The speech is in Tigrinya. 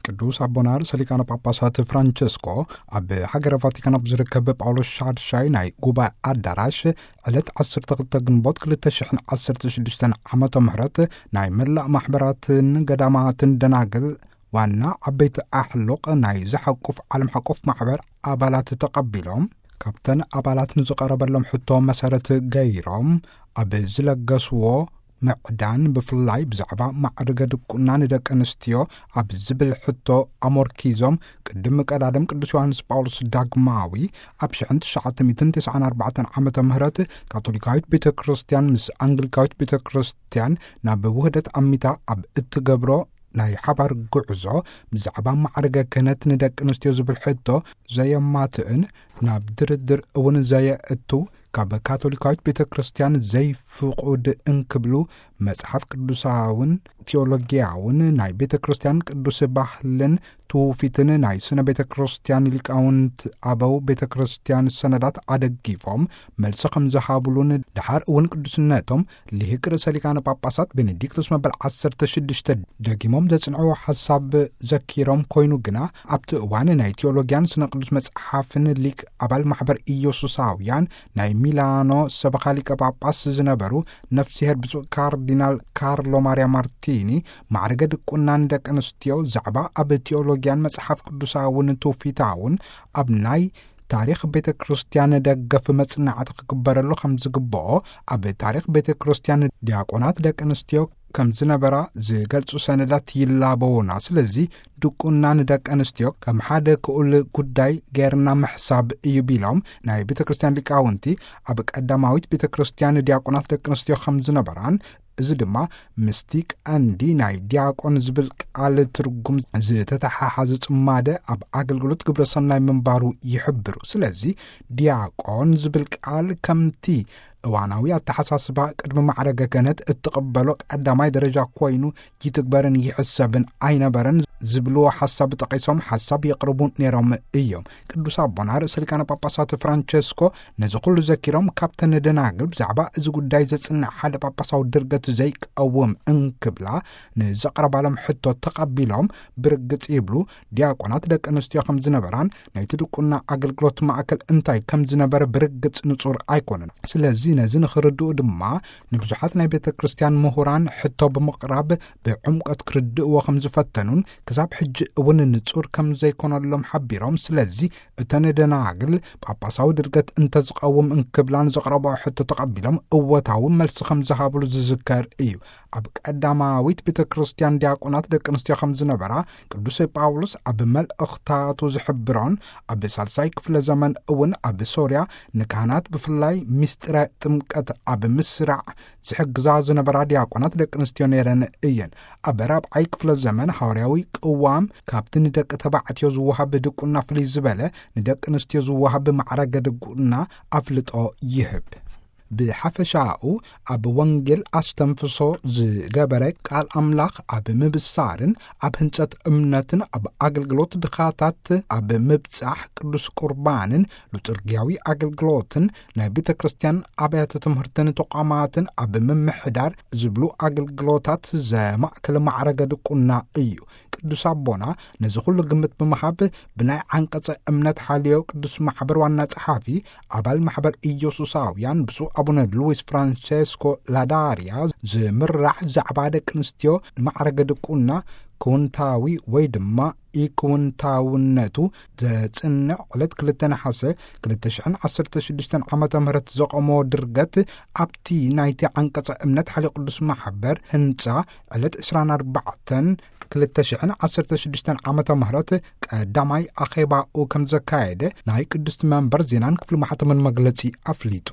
ቅዱስ ኣቦና ርእሰ ሊቃነ ጳጳሳት ፍራንቸስኮ ኣብ ሃገረ ቫቲካን ኣብ ዝርከብ ጳውሎስ ሻድሻይ ናይ ጉባኤ ኣዳራሽ ዕለት ዓሰርተ ክልተ ግንቦት ክልተ ሽሕን ዓሰርተ ሽዱሽተን ዓመተ ምህረት ናይ መላእ ማሕበራትን ገዳማትን ደናግል ዋና ዓበይቲ ኣሕሉቕ ናይ ዝሓቁፍ ዓለም ሓቆፍ ማሕበር ኣባላት ተቐቢሎም፣ ካብተን ኣባላት ንዝቐረበሎም ሕቶ መሰረት ገይሮም ኣብ ዝለገስዎ ምዕዳን፣ ብፍላይ ብዛዕባ ማዕርገ ድቁና ንደቂ ኣንስትዮ ኣብ ዝብል ሕቶ ኣሞርኪዞም፣ ቅድሚ ቀዳድም ቅዱስ ዮሃንስ ጳውሎስ ዳግማዊ ኣብ ሽሕን ትሽዓተ ሚእትን ተስዓን ኣርባዕተን ዓመተ ምህረት ካቶሊካዊት ቤተ ክርስቲያን ምስ ኣንግሊካዊት ቤተ ክርስቲያን ናብ ውህደት ኣሚታ ኣብ እትገብሮ ናይ ሓባር ጉዕዞ፣ ብዛዕባ ማዕርገ ክህነት ንደቂ ኣንስትዮ ዝብል ሕቶ ዘየማትእን፣ ናብ ድርድር እውን ዘየእቱ፣ ካብ ካቶሊካዊት ቤተ ክርስቲያን ዘይፍቑድ እንክብሉ፣ መጽሓፍ ቅዱሳውን ቴዎሎጊያውን ናይ ቤተ ክርስቲያን ቅዱስ ባህልን ትውፊትን ናይ ስነ ቤተ ክርስቲያን ሊቃውንት ኣበው ቤተ ክርስቲያን ሰነዳት ኣደጊፎም መልሲ ከም ዝሃብሉን፣ ደሓር እውን ቅዱስነቶም ሊቅ ርእሰ ሊቃነ ጳጳሳት ቤኔዲክቶስ መበል ዓሰርተ ሽዱሽተ ደጊሞም ዘጽንዕዎ ሓሳብ ዘኪሮም፣ ኮይኑ ግና ኣብቲ እዋን ናይ ቴዎሎጊያን ስነ ቅዱስ መጽሓፍን ሊቅ ኣባል ማሕበር ኢየሱሳውያን ናይ ሚላኖ ሰበኻ ሊቀ ጳጳስ ዝነበሩ ነፍስሄር ብፁዕ ካርዲናል ካርሎ ማርያ ማርቲኒ፣ ማዕርገ ድቁና ንደቂ ኣንስትዮ ዛዕባ ኣብ ቴዎሎጊያን መጽሓፍ ቅዱሳውን ትውፊታውን ኣብ ናይ ታሪኽ ቤተ ክርስቲያን ደገፍ መጽናዕቲ ክግበረሉ ከም ዝግብኦ፣ ኣብ ታሪኽ ቤተ ክርስቲያን ዲያቆናት ደቂ ኣንስትዮ ከም ዝነበራ ዝገልጹ ሰነዳት ይላበዉና። ስለዚ ድቁና ንደቂ ኣንስትዮ ከም ሓደ ክኡል ጉዳይ ገይርና ምሕሳብ እዩ ቢሎም፣ ናይ ቤተ ክርስቲያን ሊቃውንቲ ኣብ ቀዳማዊት ቤተ ክርስቲያን ዲያቆናት ደቂ ኣንስትዮ ከም ዝነበራን፣ እዚ ድማ ምስቲ ቀንዲ ናይ ዲያቆን ዝብል ቃል ትርጉም ዝተተሓሓዘ ጽማደ ኣብ ኣገልግሎት ግብረ ሰናይ ምንባሩ ይሕብሩ። ስለዚ ዲያቆን ዝብል ቃል ከምቲ እዋናዊ ኣተሓሳስባ ቅድሚ ማዕረገ ክህነት እትቕበሎ ቀዳማይ ደረጃ ኮይኑ ይትግበርን ይሕሰብን ኣይነበረን ዝብልዎ ሓሳብ ጠቒሶም ሓሳብ የቕርቡ ነይሮም እዮም። ቅዱስ ኣቦና ርእሰ ሊቃነ ጳጳሳት ፍራንቸስኮ ነዚ ኩሉ ዘኪሮም፣ ካብተን ደናግል ብዛዕባ እዚ ጉዳይ ዘጽንዕ ሓደ ጳጳሳዊ ድርገት ዘይቀውም እንክብላ ንዘቕረባሎም ሕቶ ተቐቢሎም ብርግጽ ይብሉ፣ ዲያቆናት ደቂ ኣንስትዮ ከም ዝነበራን ናይቲ ድቁና ኣገልግሎት ማእከል እንታይ ከም ዝነበረ ብርግጽ ንጹር ኣይኮነን። ስለዚ ነዚ ንኽርድኡ ድማ ንብዙሓት ናይ ቤተ ክርስቲያን ምሁራን ሕቶ ብምቕራብ ብዕምቆት ክርድእዎ ከም ዝፈተኑን ክሳብ ሕጂ እውን ንጹር ከም ዘይኮነሎም ሓቢሮም፣ ስለዚ እተን ደናግል ጳጳሳዊ ድርገት እንተዝቐውም እንክብላን ዘቕረብኦ ሕቶ ተቐቢሎም እወታዊ መልሲ ከም ዝሃብሉ ዝዝከር እዩ። ኣብ ቀዳማዊት ቤተ ክርስቲያን ዲያቆናት ደቂ ኣንስትዮ ከም ዝነበራ ቅዱስ ጳውሎስ ኣብ መልእኽታቱ ዝሕብሮን፣ ኣብ ሳልሳይ ክፍለ ዘመን እውን ኣብ ሶርያ ንካህናት ብፍላይ ምስጢረ ጥምቀት ኣብ ምስራዕ ዝሕግዛ ዝነበራ ዲያቆናት ደቂ ኣንስትዮ ነይረን እየን። ኣብ ራብዓይ ክፍለ ዘመን ሃዋርያዊ ቅዋም ካብቲ ንደቂ ተባዕትዮ ዝወሃብ ድቁና ፍልይ ዝበለ ንደቂ ኣንስትዮ ዝወሃብ ማዕረገ ድቁና ኣፍልጦ ይህብ። ብሓፈሻኡ ኣብ ወንጌል ኣስተንፍሶ ዝገበረ ቃል ኣምላኽ ኣብ ምብሳርን ኣብ ህንጸት እምነትን ኣብ ኣገልግሎት ድኻታት ኣብ ምብጻሕ ቅዱስ ቁርባንን ሉጥርጊያዊ ኣገልግሎትን ናይ ቤተ ክርስቲያን ኣብያተ ትምህርትን ተቋማትን ኣብ ምምሕዳር ዝብሉ ኣገልግሎታት ዘማእከለ ማዕረገ ድቁና እዩ። ቅዱስ ኣቦና ነዚ ኩሉ ግምት ብምሃብ ብናይ ዓንቀጸ እምነት ሓልዮ ቅዱስ ማሕበር ዋና ጸሓፊ ኣባል ማሕበር ኢየሱሳውያን ብፁዕ ኣቡነ ሉዊስ ፍራንቸስኮ ላዳርያ ዝምራሕ ዛዕባ ደቂ ኣንስትዮ ማዕረገ ድቁና ክውንታዊ ወይ ድማ ኢክውንታውነቱ ዘጽንዕ ዕለት ክልተ ነሓሰ ክልተ ሽሕን ዓሰርተ ሽዱሽተን ዓመተ ምህረት ዘቐሞ ድርገት ኣብቲ ናይቲ ዓንቀጸ እምነት ሓልዮ ቅዱስ ማሕበር ህንጻ ዕለት ዕስራን ኣርባዕተን ክልተ ሽሕን ዓሰርተ ሽዱሽተን ዓመተ ምህረት ቀዳማይ ኣኼባኡ ከም ዘካየደ ናይ ቅድስቲ መንበር ዜናን ክፍሊ ማሕተምን መግለጺ ኣፍሊጡ።